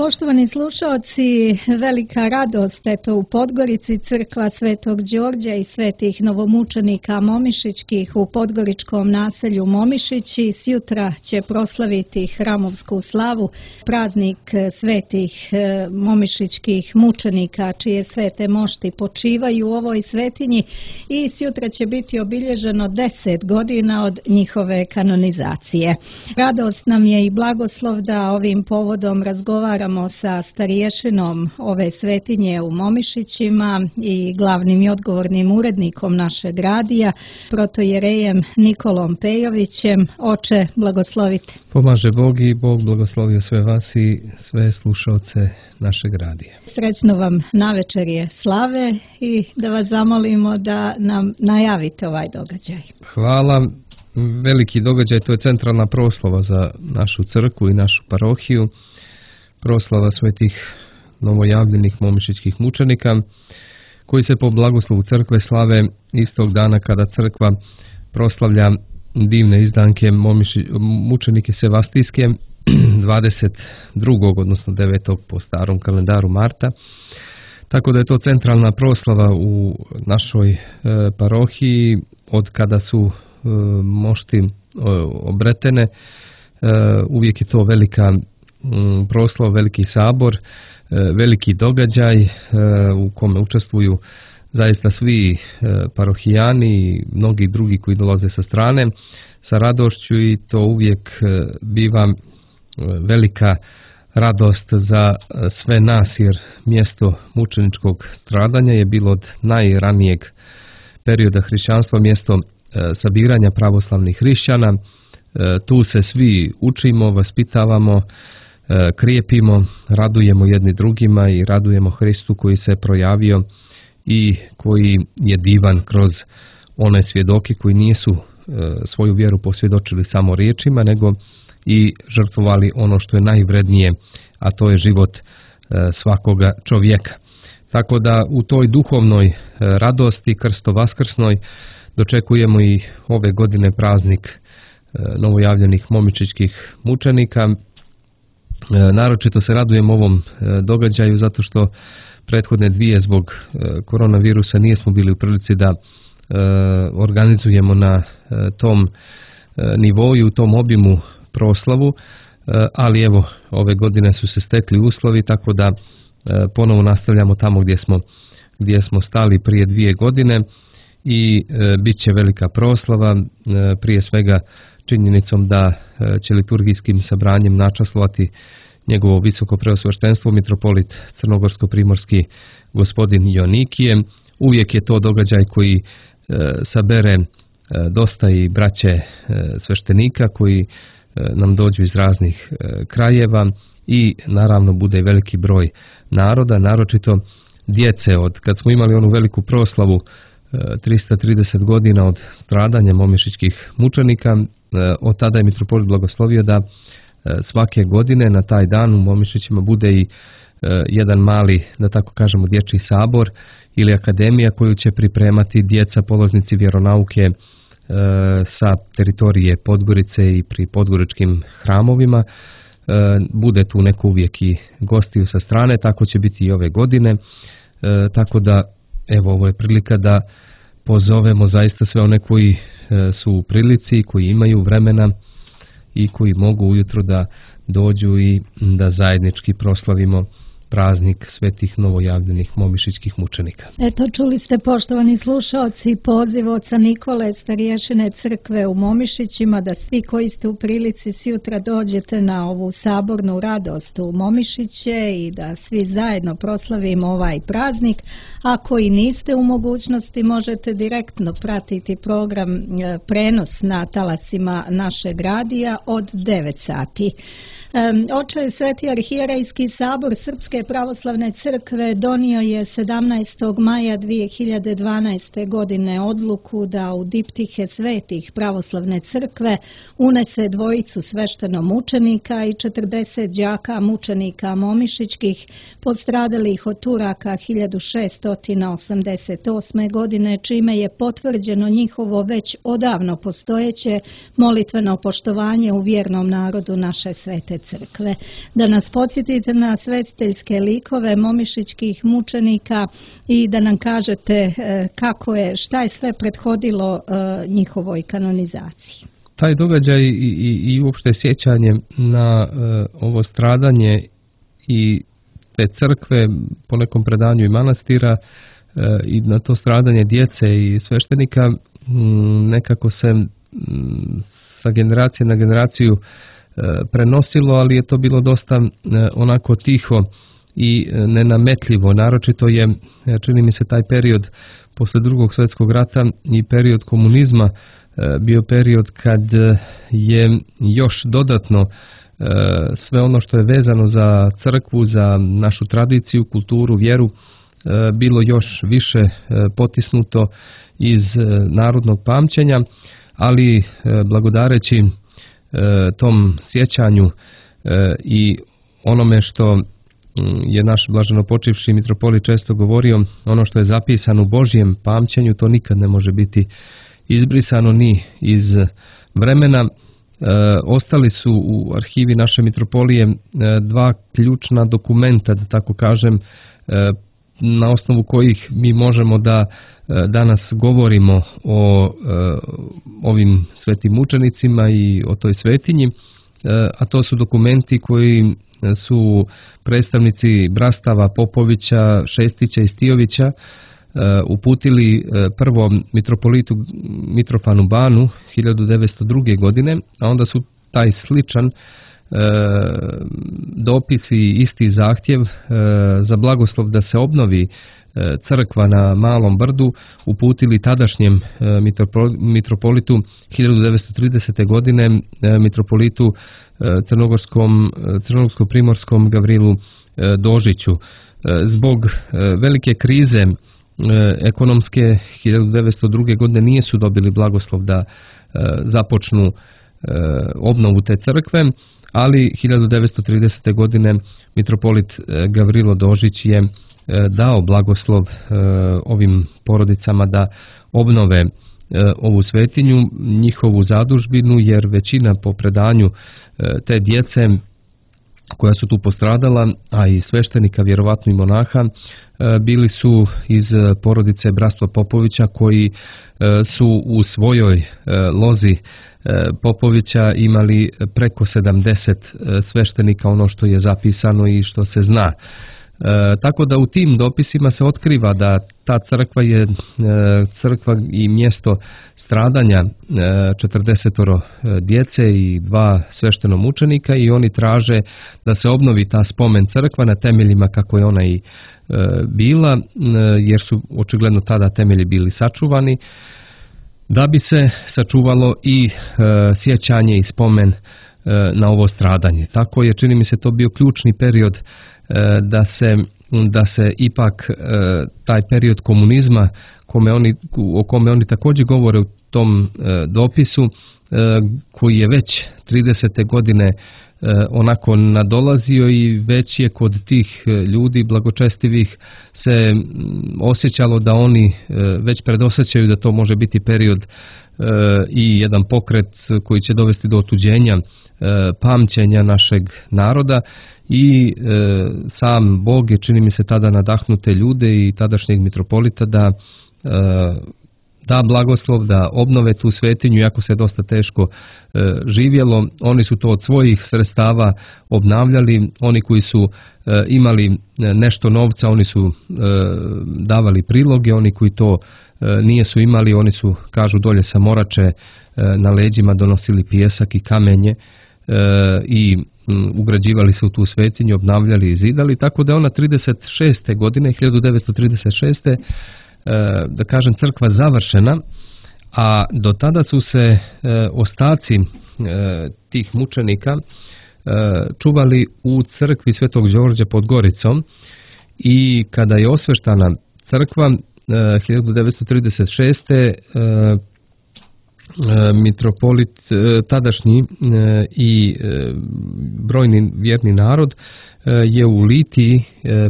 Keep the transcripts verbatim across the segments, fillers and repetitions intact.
Poštovani slušaoci, velika radost eto u Podgorici, crkva Svetog Đorđa i svetih novomučenika momišićkih u podgoričkom naselju Momišići sjutra će proslaviti hramovsku slavu, praznik svetih momišićkih mučenika čije svete mošti počivaju u ovoj svetinji i sjutra će biti obilježeno deset godina od njihove kanonizacije. Radost nam je i blagoslov da ovim povodom razgovaramo sa stariješinom ove svetinje u Momišićima i glavnim i odgovornim urednikom našeg radija, protojerejem Nikolom Pejovićem. Oče, blagoslovite. Pomaže Bog i Bog blagoslovio sve vas i sve slušalce našeg radija. Srećno vam navečerje slave i da vas zamolimo da nam najavite ovaj događaj. Hvala. Veliki događaj, to je centralna proslava za našu crkvu i našu parohiju. Proslava svetih novojavljenih momišićkih mučenika, koji se po blagoslovu crkve slave istog dana kada crkva proslavlja divne izdanke momiši, mučenike Sevastijske dvadeset drugog odnosno devetog po starom kalendaru marta. Tako da je to centralna proslava u našoj e, parohiji od kada su e, mošti e, obretene. E, uvijek je to velika proslav, veliki sabor, veliki događaj u kome učestvuju zaista svi parohijani i mnogi drugi koji dolaze sa strane sa radošću i to uvijek biva velika radost za sve nas jer mjesto mučeničkog stradanja je bilo od najranijeg perioda hrišćanstva mjesto sabiranja pravoslavnih hrišćana. Tu se svi učimo, vaspitavamo, krijepimo, radujemo jedni drugima i radujemo Hristu koji se projavio i koji je divan kroz one svjedoke koji nisu svoju vjeru posvjedočili samo riječima, nego i žrtvovali ono što je najvrednije, a to je život svakoga čovjeka. Tako da u toj duhovnoj radosti krsto-vaskrsnoj dočekujemo i ove godine praznik novojavljenih momišićkih mučenika. Naročito se radujem ovom događaju zato što prethodne dvije zbog koronavirusa nismo bili u prilici da organizujemo na tom nivou i u tom obimu proslavu, ali evo ove godine su se stekli uslovi tako da ponovo nastavljamo tamo gdje smo, gdje smo stali prije dvije godine i bit će velika proslava, prije svega činjenicom da će liturgijskim sabranjem načaslovati njegovo visoko preosveštenstvo mitropolit crnogorsko-primorski gospodin Jonikije. Uvijek je to događaj koji e, sabere e, dosta i braće e, sveštenika koji e, nam dođu iz raznih e, krajeva i naravno bude veliki broj naroda, naročito djece. Od kad smo imali onu veliku proslavu e, trista trideset godina od stradanja momišićkih mučenika, e, od tada je mitropolit blagoslovio da svake godine na taj dan u Momišićima bude i e, jedan mali, da tako kažemo, dječji sabor ili akademija koju će pripremati djeca polaznici vjeronauke e, sa teritorije Podgorice i pri podgoričkim hramovima. E, bude tu neko uvijek i gostiju sa strane, tako će biti i ove godine. E, tako da, evo, ovo je prilika da pozovemo zaista sve one koji e, su u prilici, koji imaju vremena i koji mogu ujutro da dođu i da zajednički proslavimo praznik svetih novojavljenih momišićkih mučenika. Eto, čuli ste, poštovani slušalci, poziv oca Nikole, stariješine crkve u Momišićima, da svi koji ste u prilici sjutra dođete na ovu sabornu radost u Momišiće i da svi zajedno proslavimo ovaj praznik. Ako i niste u mogućnosti, možete direktno pratiti program prenos na talasima našeg radija od devet sati. Oče, Sveti arhijerejski sabor Srpske pravoslavne crkve donio je sedamnaestog maja dvije hiljade dvanaeste. godine odluku da u diptihe svetih pravoslavne crkve unese dvojicu sveštenomučenika i četrdeset đaka mučenika momišićkih postradalih od Turaka hiljadu šeststo osamdeset osme. godine, čime je potvrđeno njihovo već odavno postojeće molitveno poštovanje u vjernom narodu naše svete crkve. Da nas podsjetite na svetiteljske likove momišićkih mučenika i da nam kažete kako je, šta je sve prethodilo njihovoj kanonizaciji. Taj događaj i, i, i uopšte sjećanje na uh, ovo stradanje i te crkve, po nekom predanju i manastira, uh, i na to stradanje djece i sveštenika, um, nekako se um, sa generacije na generaciju uh, prenosilo, ali je to bilo dosta uh, onako tiho i uh, nenametljivo. Naročito je, čini mi se, taj period posle drugog svjetskog rata i period komunizma bio period kad je još dodatno sve ono što je vezano za crkvu, za našu tradiciju, kulturu, vjeru, bilo još više potisnuto iz narodnog pamćenja, ali blagodareći tom sjećanju i onome što je naš blaženopočivši mitropolit često govorio, ono što je zapisano u Božjem pamćenju, to nikad ne može biti izbrisano ni iz vremena. E, ostali su u arhivi naše mitropolije e, dva ključna dokumenta, da tako kažem, e, na osnovu kojih mi možemo da e, danas govorimo o e, ovim svetim mučenicima i o toj svetinji, e, a to su dokumenti koji su predstavnici brastava Popovića, Šestića i Stijovića uputili prvo mitropolitu Mitrofanu Banu hiljadu devetsto druge. godine, a onda su taj sličan e, dopis i isti zahtjev e, za blagoslov da se obnovi e, crkva na Malom Brdu uputili tadašnjem e, mitropolitu hiljadu devetsto tridesete. godine e, mitropolitu e, crnogorskom, crnogorsko-primorskom Gavrilu e, Dožiću. E, zbog e, velike krize ekonomske hiljadu devetsto druge. godine nije su dobili blagoslov da e, započnu e, obnovu te crkve, ali hiljadu devetsto tridesete. godine mitropolit e, Gavrilo Dožić je e, dao blagoslov e, ovim porodicama da obnove e, ovu svetinju, njihovu zadužbinu, jer većina po predanju e, te djece koja su tu postradala, a i sveštenika, vjerovatno i monaha, bili su iz porodice bratstva Popovića, koji su u svojoj lozi Popovića imali preko sedamdeset sveštenika, ono što je zapisano i što se zna. Tako da u tim dopisima se otkriva da ta crkva je crkva i mjesto stradanja četrdesetoro djece i dva sveštenomučenika, i oni traže da se obnovi ta spomen crkva na temeljima kako je ona i bila, jer su očigledno tada temelji bili sačuvani, da bi se sačuvalo i sjećanje i spomen na ovo stradanje. Tako je, čini mi se, to bio ključni period da se, da se ipak taj period komunizma, kome oni, o kome oni također govore u tom dopisu, koji je već tridesete. godine onako nadolazio i već je kod tih ljudi blagočestivih se osjećalo da oni već predosjećaju da to može biti period i jedan pokret koji će dovesti do otuđenja pamćenja našeg naroda, i sam Bog je, čini mi se, tada nadahnute ljude i tadašnjeg mitropolita da da blagoslov, da obnove tu svetinju, iako se dosta teško e, živjelo. Oni su to od svojih sredstava obnavljali, oni koji su e, imali nešto novca, oni su e, davali priloge, oni koji to e, nije su imali, oni su, kažu, dolje sa Morače e, na leđima donosili pijesak i kamenje e, i m, ugrađivali se u tu svetinju, obnavljali i zidali, tako da ona trideset šeste. godine, hiljadu devetsto trideset šeste. da kažem, crkva završena, a do tada su se e, ostaci e, tih mučenika e, čuvali u crkvi Svetog Đorđa pod Goricom, i kada je osveštana crkva e, hiljadu devetsto trideset šeste. E, e, mitropolit e, tadašnji e, i e, brojni vjerni narod je u Litiji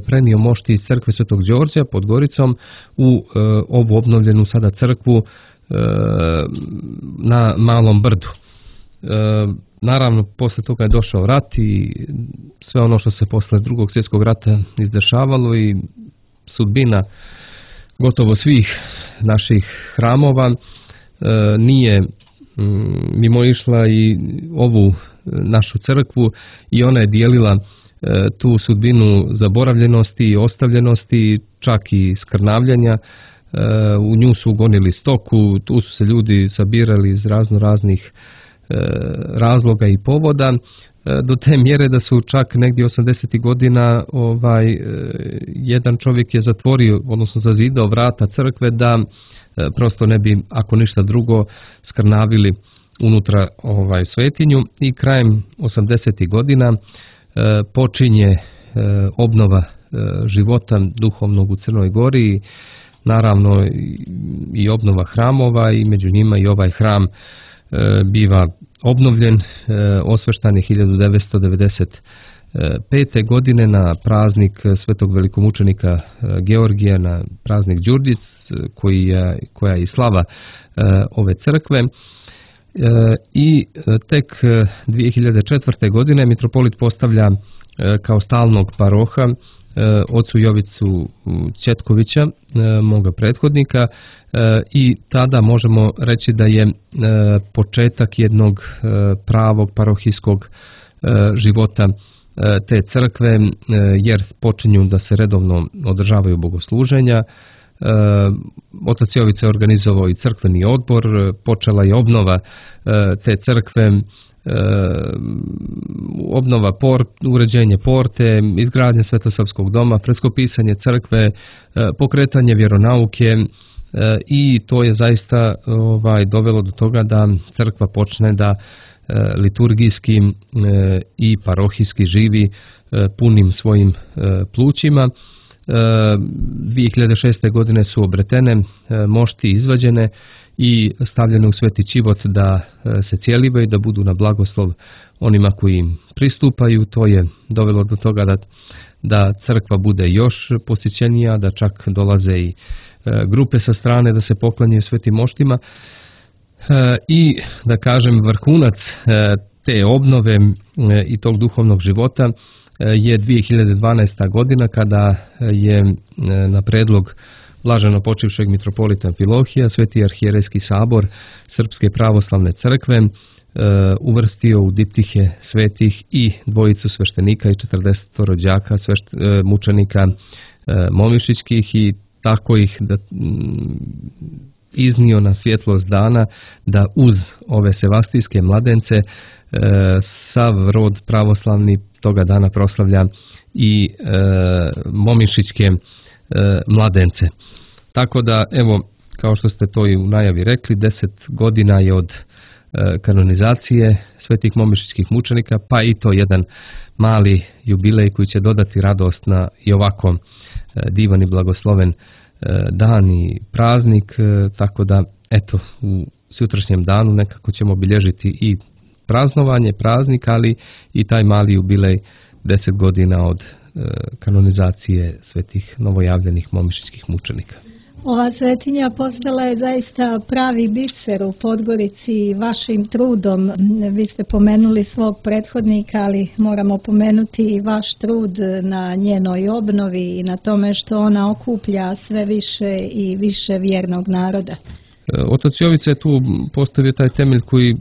prenio mošti iz crkve Svetog Đorđa pod Goricom u ovu obnovljenu sada crkvu na Malom Brdu. naravno, posle toga je došao rat i sve ono što se posle drugog svjetskog rata izdešavalo i sudbina gotovo svih naših hramova e, nije mimo išla i ovu našu crkvu i ona je dijelila e, tu sudbinu zaboravljenosti i ostavljenosti, čak i skrnavljanja. E, u nju su gonili stoku, tu su se ljudi sabirali iz razno raznih e, razloga i povoda, e, do te mjere da su čak negdje osamdesetih godina ovaj, e, jedan čovjek je zatvorio, odnosno zazidao vrata crkve da e, prosto ne bi, ako ništa drugo, skrnavili unutra ovaj svetinju i krajem osamdesetih godina e, počinje e, obnova e, života duhovnog u Crnoj Gori i naravno i, i obnova hramova i među njima i ovaj hram e, biva obnovljen, e, osveštan je hiljadu devetsto devedeset pete. godine na praznik svetog velikomučenika e, Georgija, na praznik Đurđic, koji je, koja je i slava e, ove crkve. E, I tek dvije hiljade četvrte. godine mitropolit postavlja e, kao stalnog paroha e, ocu Jovicu Ćetkovića, e, moga prethodnika, e, i tada možemo reći da je e, početak jednog e, pravog parohijskog e, života e, te crkve, e, jer počinju da se redovno održavaju bogosluženja. E, otac Jovica je organizovao i crkveni odbor, počela je obnova e, te crkve, e, obnova port, uređenje porte, izgradnja Svetosavskog doma, freskopisanje crkve, e, pokretanje vjeronauke e, i to je zaista ovaj, dovelo do toga da crkva počne da e, liturgijski e, i parohijski živi e, punim svojim e, plućima. dvije hiljade šeste. godine su obretene, mošti izvađene i stavljene u sveti čivot da se cijelibaju, da budu na blagoslov onima koji im pristupaju. To je dovelo do toga da, da crkva bude još posjećenija, da čak dolaze i grupe sa strane da se poklanjaju svetim moštima. I da kažem, vrhunac te obnove i tog duhovnog života je dvije hiljade dvanaesta. godina kada je na predlog blaženo počivšeg mitropolita Amfilohija Sveti arhijerejski sabor Srpske pravoslavne crkve uvrstio u diptihe svetih i dvojicu sveštenika i četrdeset rođaka svešt, mučenika momišićkih i tako ih da iznio na svjetlost dana da uz ove sevastijske mladence sav rod pravoslavni toga dana proslavlja i e, momišićke e, mladence. Tako da, evo, kao što ste to i u najavi rekli, deset godina je od e, kanonizacije svetih momišićkih mučenika, pa i to jedan mali jubilej koji će dodati radost na i ovako e, divan i blagosloven e, dan i praznik, e, tako da, eto, u sutrašnjem danu nekako ćemo obilježiti i praznovanje, praznik, ali i taj mali jubilej deset godina od e, kanonizacije svetih novojavljenih momišićkih mučenika. Ova svetinja postala je zaista pravi biser u Podgorici vašim trudom. Vi ste pomenuli svog prethodnika, ali moramo pomenuti i vaš trud na njenoj obnovi i na tome što ona okuplja sve više i više vjernog naroda. Otac Jovica je tu postavio taj temelj koji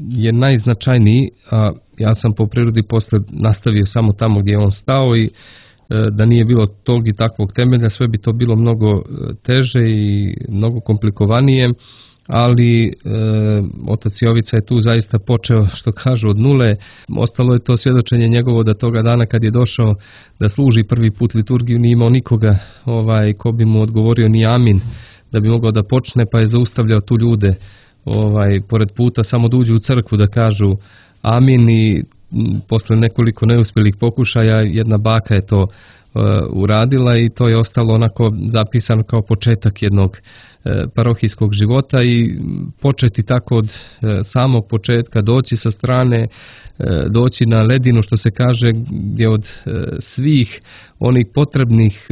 je najznačajniji, a ja sam po prirodi posle nastavio samo tamo gdje je on stao i da nije bilo tog i takvog temelja, sve bi to bilo mnogo teže i mnogo komplikovanije, ali e, otac Jovica je tu zaista počeo, što kažu, od nule. Ostalo je to svjedočenje njegovo da toga dana kad je došao da služi prvi put liturgiju nije imao nikoga ovaj, ko bi mu odgovorio ni amin, da bi mogao da počne, pa je zaustavljao tu ljude ovaj, pored puta samo da uđu u crkvu da kažu amin i posle nekoliko neuspjelih pokušaja jedna baka je to uh, uradila i to je ostalo onako zapisano kao početak jednog parohijskog života i početi tako od samog početka, doći sa strane, doći na ledinu, što se kaže, gdje od svih onih potrebnih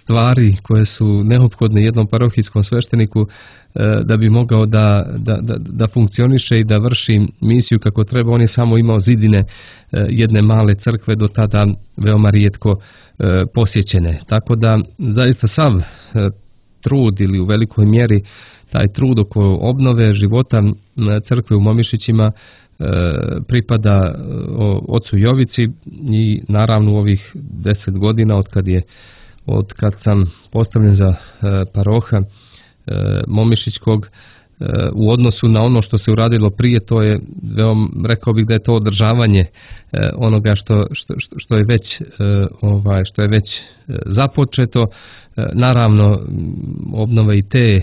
stvari koje su neophodne jednom parohijskom svešteniku da bi mogao da, da, da, da funkcioniše i da vrši misiju kako treba, on je samo imao zidine jedne male crkve, do tada veoma rijetko posjećene. Tako da zaista sav trud ili u velikoj mjeri taj trud oko obnove života crkve u Momišićima pripada ocu Jovici i naravno u ovih deset godina od kad je od kad sam postavljen za paroha Momišićkog, u odnosu na ono što se uradilo prije, to je veoma, rekao bih da je to održavanje onoga što, što, što je već ovaj što je već započeto. Naravno obnova i te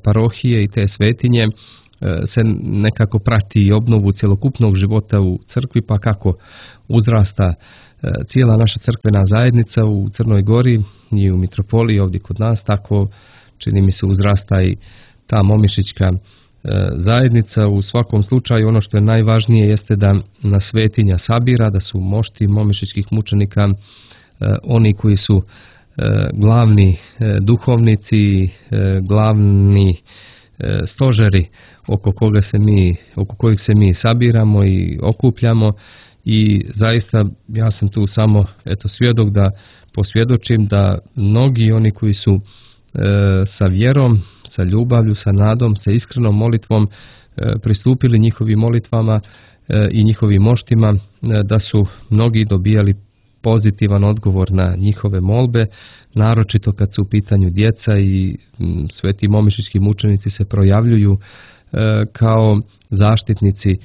parohije i te svetinje se nekako prati i obnovu cjelokupnog života u crkvi, pa kako uzrasta cijela naša crkvena zajednica u Crnoj Gori i u mitropoliji ovdje kod nas, tako čini mi se uzrasta i ta momišićka zajednica. U svakom slučaju ono što je najvažnije jeste da na svetinja sabira, da su mošti momišićkih mučenika oni koji su glavni duhovnici, glavni stožeri oko koga se mi, oko kojih se mi sabiramo i okupljamo, i zaista ja sam tu samo eto svjedok da posvjedočim da mnogi oni koji su e, sa vjerom, sa ljubavlju, sa nadom, sa iskrenom molitvom e, pristupili njihovim molitvama e, i njihovim moštima, e, da su mnogi dobijali pozitivan odgovor na njihove molbe, naročito kad su u pitanju djeca, i m, sveti momišićki mučenici se projavljuju e, kao zaštitnici e,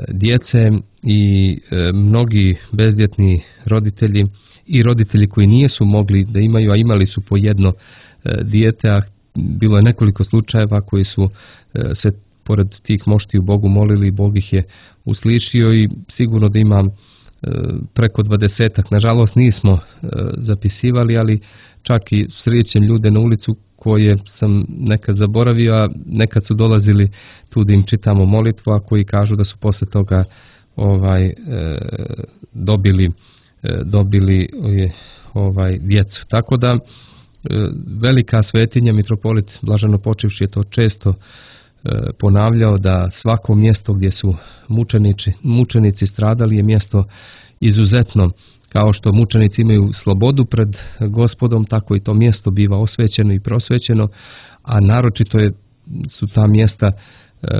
djece, i e, mnogi bezdjetni roditelji i roditelji koji nisu mogli da imaju, a imali su po jedno e, dijete, a bilo je nekoliko slučajeva koji su e, se pored tih mošti u Bogu molili, Bog ih je uslišio, i sigurno da imam preko dvadesetak, nažalost nismo e, zapisivali, ali čak i srećem ljude na ulicu koje sam nekad zaboravio, a nekad su dolazili tu da im čitamo molitvu, a koji kažu da su posle toga ovaj e, dobili e, dobili e, ovaj djecu. Tako da e, velika svetinja, mitropolit Blaženopočivši je to često e, ponavljao, da svako mjesto gdje su mučenici, mučenici stradali je mjesto izuzetno, kao što mučenici imaju slobodu pred Gospodom, tako i to mjesto biva osvećeno i prosvećeno, a naročito je, su ta mjesta e,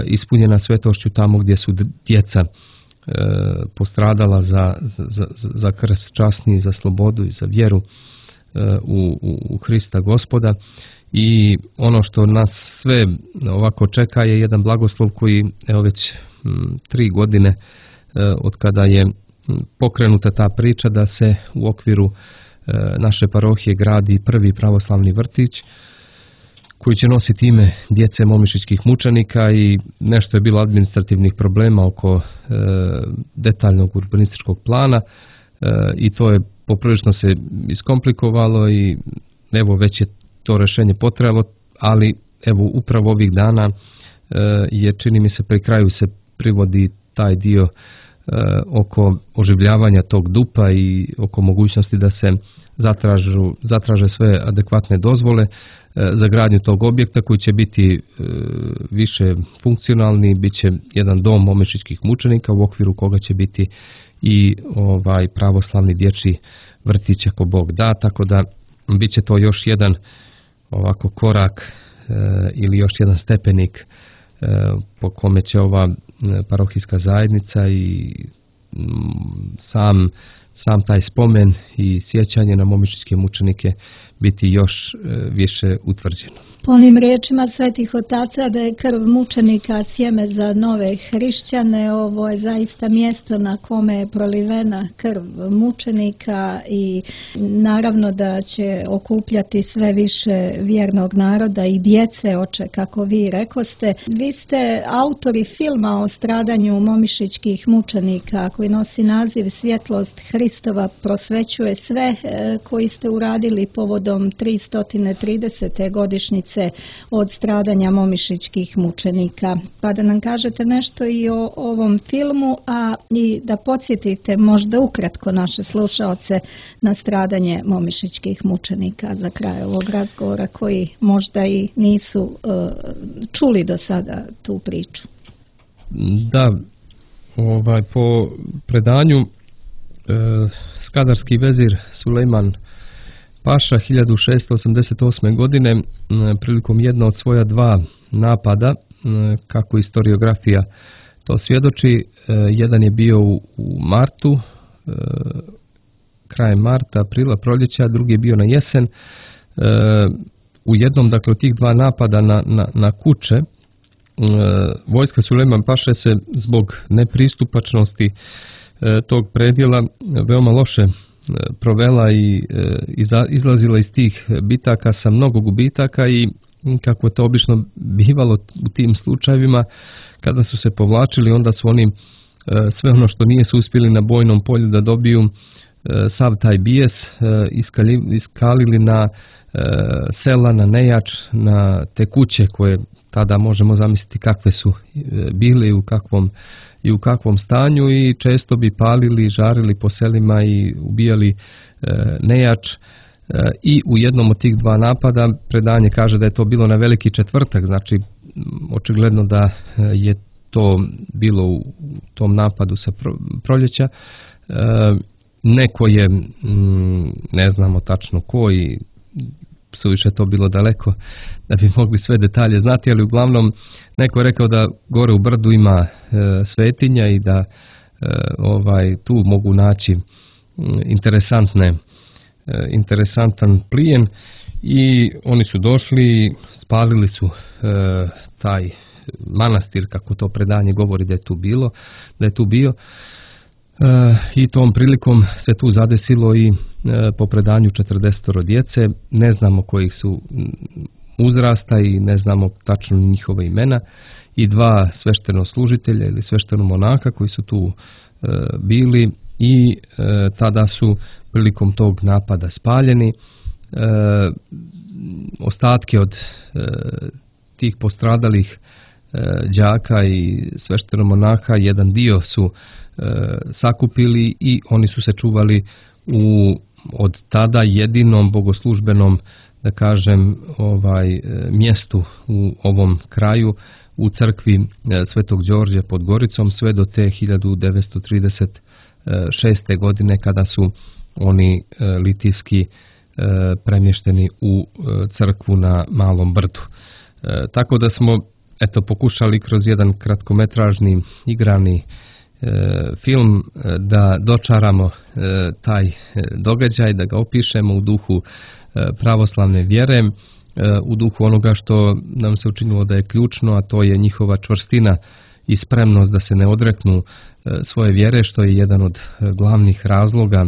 ispunjena svetošću tamo gdje su djeca e, postradala za, za, za krst časni, za slobodu i za vjeru e, u, u, u Hrista Gospoda. I ono što nas sve ovako čeka je jedan blagoslov koji evo već m, tri godine e, od kada je pokrenuta ta priča da se u okviru e, naše parohije gradi prvi pravoslavni vrtić koji će nositi ime djece momišićkih mučenika, i nešto je bilo administrativnih problema oko e, detaljnog urbanističkog plana e, i to je poprilično se iskomplikovalo, i evo već je to rješenje potrebalo, ali evo upravo ovih dana e, je, čini mi se, pri kraju se privodi taj dio e, oko oživljavanja tog dupa i oko mogućnosti da se zatražu, zatraže sve adekvatne dozvole e, za gradnju tog objekta koji će biti e, više funkcionalni, bit će jedan dom momišićkih mučenika u okviru koga će biti i ovaj pravoslavni dječji vrtić ako Bog da, tako da bit će to još jedan ovako korak e, ili još jedan stepenik e, po kome će ova parohijska zajednica i m, sam, sam taj spomen i sjećanje na momišićke mučenike biti još e, više utvrđeno. Po onim riječima svetih otaca da je krv mučenika sjeme za nove hrišćane, ovo je zaista mjesto na kome je prolivena krv mučenika, i naravno da će okupljati sve više vjernog naroda i djece, oče, kako vi rekoste. Vi ste autori filma o stradanju momišićkih mučenika koji nosi naziv Svjetlost Hristova prosvećuje sve, koji ste uradili povodom povodom tristo tridesete godišnjice od stradanja momišićkih mučenika. Pa da nam kažete nešto i o ovom filmu, a i da podsjetite možda ukratko naše slušaoce na stradanje momišićkih mučenika za kraj ovog razgovora koji možda i nisu uh, čuli do sada tu priču. Da, ovaj, po predanju uh, skadarski vezir Sulejman Paša hiljadu šessto osamdeset osme. godine prilikom jedna od svoja dva napada, kako historiografija to svjedoči, jedan je bio u martu, krajem marta, aprila, proljeća, drugi je bio na jesen. U jednom, dakle, od tih dva napada na, na, na kuće, vojska Sulejman Paše se zbog nepristupačnosti tog predjela veoma loše provela i izlazila iz tih bitaka sa mnogo gubitaka i kako to obično bivalo u tim slučajevima, kada su se povlačili, onda su oni sve ono što nije su uspjeli na bojnom polju da dobiju, sav taj bijes iskalili na sela, na nejač, na te kuće koje tada možemo zamisliti kakve su bile i u kakvom i u kakvom stanju, i često bi palili, žarili po selima i ubijali e, nejač. E, I u jednom od tih dva napada predanje kaže da je to bilo na Veliki četvrtak, znači očigledno da je to bilo u tom napadu sa proljeća. E, neko je, m, ne znamo tačno ko i suviše to bilo daleko da bi mogli sve detalje znati, ali uglavnom neko je rekao da gore u brdu ima e, svetinja i da e, ovaj tu mogu naći m, interesantne e, interesantan plijen, i oni su došli, spalili su e, taj manastir, kako to predanje govori da je tu bilo, da je tu bio. E, i tom prilikom se tu zadesilo i e, po predanju četrdeset djece, ne znamo kojih su uzrasta i ne znamo tačno njihove imena, i dva sveštenoslužitelja ili sveštenomonaka koji su tu e, bili i e, tada su prilikom tog napada spaljeni. E, ostatke od e, tih postradalih e, đaka i sveštenomonaka, jedan dio su e, sakupili i oni su se čuvali u od tada jedinom bogoslužbenom, da kažem, ovaj mjestu u ovom kraju, u crkvi Svetog Đorđa pod Goricom, sve do te hiljadu devetsto trideset šeste. godine kada su oni litijski premješteni u crkvu na Malom brdu. Tako da smo eto pokušali kroz jedan kratkometražni igrani film da dočaramo taj događaj, da ga opišemo u duhu pravoslavne vjere, u duhu onoga što nam se učinilo da je ključno, a to je njihova čvrstina i spremnost da se ne odreknu svoje vjere, što je jedan od glavnih razloga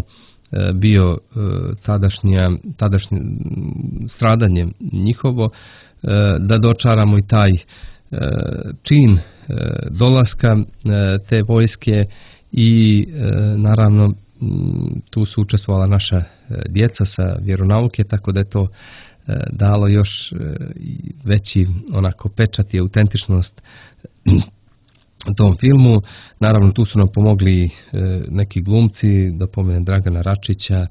bio tadašnja, tadašnje stradanje njihovo, da dočaramo i taj čin dolaska te vojske i naravno tu su učestvovala naša djeca sa vjeronauke, tako da je to dalo još veći onako pečat i autentičnost tom filmu. Naravno tu su nam pomogli neki glumci, da pomenem Dragana Račića,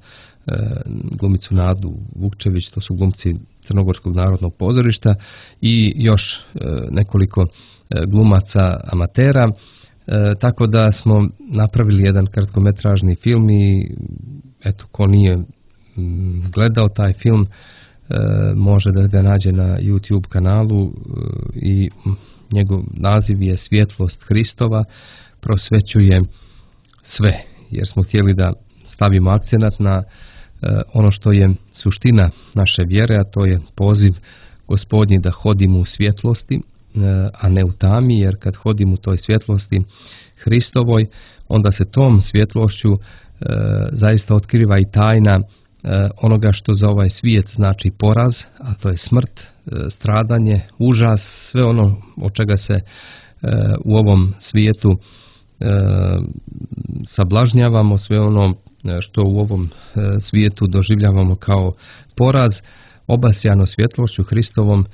glumicu Nadu Vukčević, to su glumci Crnogorskog narodnog pozorišta, i još nekoliko glumaca amatera. E, tako da smo napravili jedan kratkometražni film i eto, ko nije m, gledao taj film e, može da ga nađe na YouTube kanalu e, i njegov naziv je Svjetlost Hristova prosvećuje sve, jer smo htjeli da stavimo akcenat na e, ono što je suština naše vjere, a to je poziv Gospodnji da hodimo u svjetlosti, a ne u tami, jer kad hodimo u toj svjetlosti Hristovoj, onda se tom svjetlošću e, zaista otkriva i tajna e, onoga što za ovaj svijet znači poraz, a to je smrt, e, stradanje, užas, sve ono od čega se e, u ovom svijetu e, sablažnjavamo, sve ono što u ovom e, svijetu doživljavamo kao poraz obasjano svjetlošću Hristovom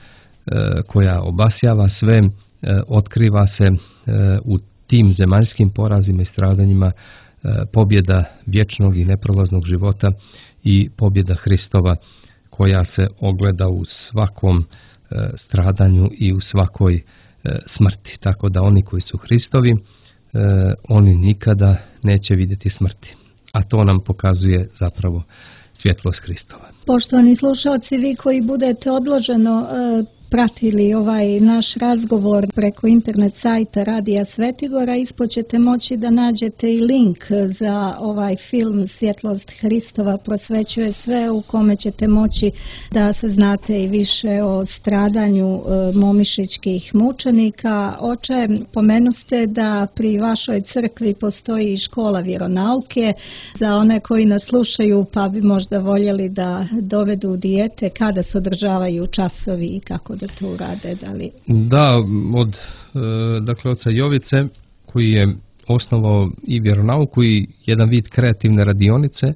koja obasjava sve, otkriva se u tim zemaljskim porazima i stradanjima pobjeda vječnog i neprolaznog života i pobjeda Hristova koja se ogleda u svakom stradanju i u svakoj smrti. Tako da oni koji su Hristovi, oni nikada neće vidjeti smrti. A to nam pokazuje zapravo svjetlost Hristova. Poštovani slušalci, vi koji budete odloženo pratili ovaj naš razgovor preko internet sajta Radija Svetigora, ispod ćete moći da nađete i link za ovaj film Svjetlost Hristova prosvećuje sve, u kome ćete moći da saznate i više o stradanju momišićkih mučenika. Oče, pomenuste da pri vašoj crkvi postoji i škola vjeronauke za one koji nas slušaju pa bi možda voljeli da dovedu dijete, kada se održavaju časovi i kako da to urade, da li? Da, od dakle oca Jovice koji je osnovao i vjeronauku i jedan vid kreativne radionice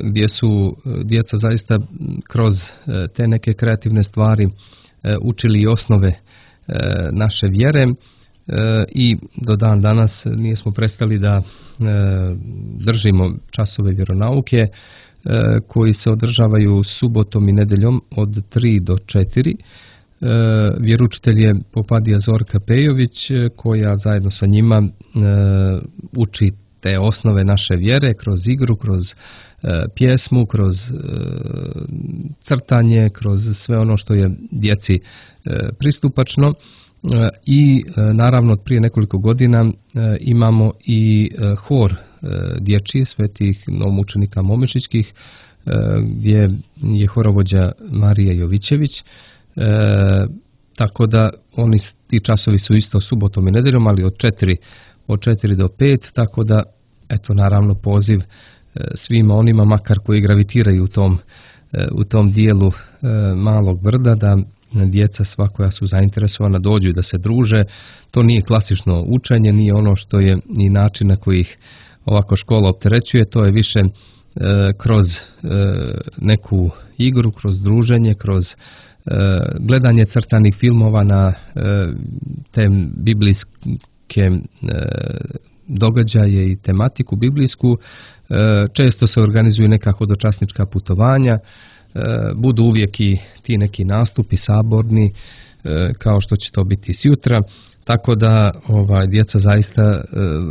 gdje su djeca zaista kroz te neke kreativne stvari učili i osnove naše vjere i do dan danas nismo prestali da držimo časove vjeronauke koji se održavaju subotom i nedeljom od tri do četiri. Vjeručitelj je Popadija Zorka Pejović koja zajedno sa njima uči te osnove naše vjere kroz igru, kroz pjesmu, kroz crtanje, kroz sve ono što je djeci pristupačno. I naravno prije nekoliko godina imamo i hor dječji svetih novomučenika momišićkih gdje je horovođa Marija Jovićević, tako da oni ti časovi su isto subotom i nedeljom, ali od četiri od četiri do pet, tako da eto naravno poziv svima onima makar koji gravitiraju u tom u tom dijelu Malog Brda da djeca sva koja su zainteresovana dođu i da se druže. To nije klasično učenje, nije ono što je ni način na koji ih ovako škola opterećuje, to je više e, kroz e, neku igru, kroz druženje, kroz e, gledanje crtanih filmova na e, te biblijske e, događaje i tematiku biblijsku. E, često se organizuju neka hodočasnička putovanja, e, budu uvijek i ti neki nastupi saborni, e, kao što će to biti sjutra. Tako da ovaj djeca zaista e,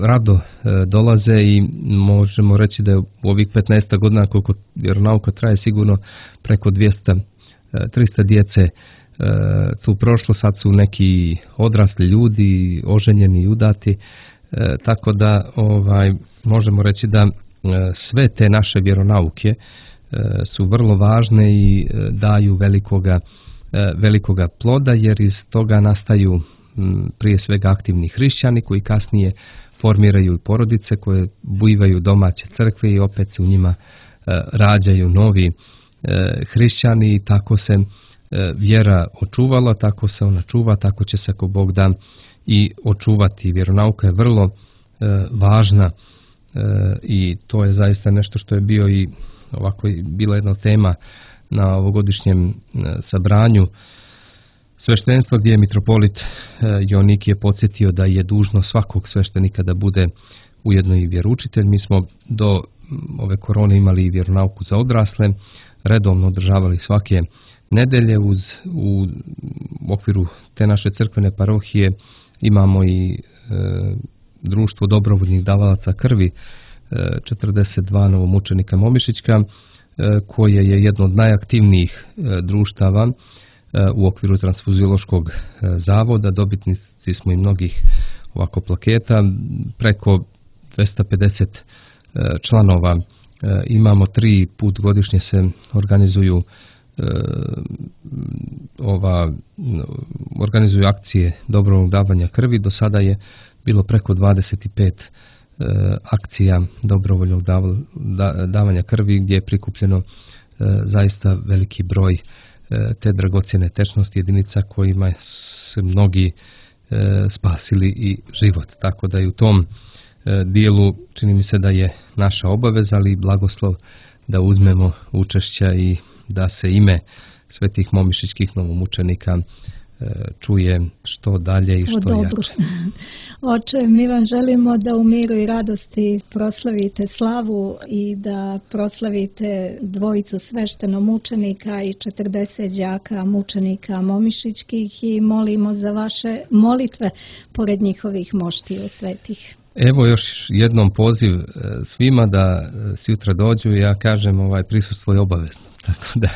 rado e, dolaze i možemo reći da je u ovih petnaest godina koliko vjeronauka traje sigurno preko dvjesto do tristo djece e, tu prošlo, sad su neki odrasli ljudi, oženjeni i udati, e, tako da ovaj možemo reći da e, sve te naše vjeronauke e, su vrlo važne i e, daju velikoga, e, velikoga ploda, jer iz toga nastaju prije svega aktivni hrišćani koji kasnije formiraju porodice koje bujvaju domaće crkve i opet se u njima e, rađaju novi e, hrišćani i tako se e, vjera očuvala, tako se ona čuva, tako će se ako Bog da i očuvati. Vjeronauka je vrlo e, važna e, i to je zaista nešto što je bio i ovako bila jedna tema na ovogodišnjem e, sabranju sveštenstva gdje je mitropolit Joannikije podsjetio da je dužno svakog sveštenika da bude ujedno i vjeroučitelj. Mi smo do ove korone imali i vjeronauku za odrasle, redovno održavali svake nedelje. Uz, u okviru te naše crkvene parohije imamo i e, društvo dobrovoljnih davalaca krvi, e, četrdeset dva novomučenika Momišićka, e, koje je jedno od najaktivnijih e, društava u okviru transfuziološkog zavoda. Dobitnici smo i mnogih ovako plaketa, preko dvjesto pedeset članova imamo. Tri put godišnje se organizuju ova organizuju akcije dobrovoljnog davanja krvi. Do sada je bilo preko dvadeset pet akcija dobrovoljnog davanja krvi gdje je prikupljeno zaista veliki broj te dragocjene tečnosti jedinica kojima su mnogi e, spasili i život. Tako da i u tom e, dijelu čini mi se da je naša obaveza, ali i blagoslov da uzmemo učešća i da se ime svetih momišićkih novomučenika čuje što dalje i što o, jače. Oče, mi vam želimo da u miru i radosti proslavite slavu i da proslavite dvojicu sveštenomučenika i četrdeset đaka mučenika momišićkih i molimo za vaše molitve pored njihovih moštiju svetih. Evo još jednom poziv svima da sutra dođu. Ja kažem, ovaj prisustvo je obavezno, tako da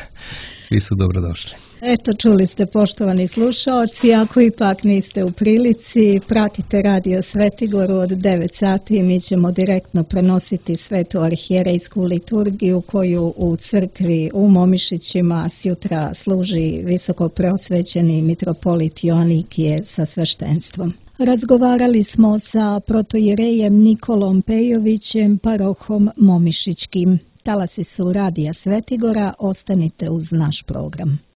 svi su dobrodošli. Eto, čuli ste, poštovani slušaoci, ako ipak niste u prilici, pratite Radio Svetigoru od devet sati i mi ćemo direktno prenositi svetu arhijerejsku liturgiju koju u crkvi u Momišićima sutra služi visoko preosvećeni mitropolit Joanikije sa sveštenstvom. Razgovarali smo sa protoijerejem Nikolom Pejovićem, parohom Momišićkim. Talasi su Radija Svetigora, ostanite uz naš program.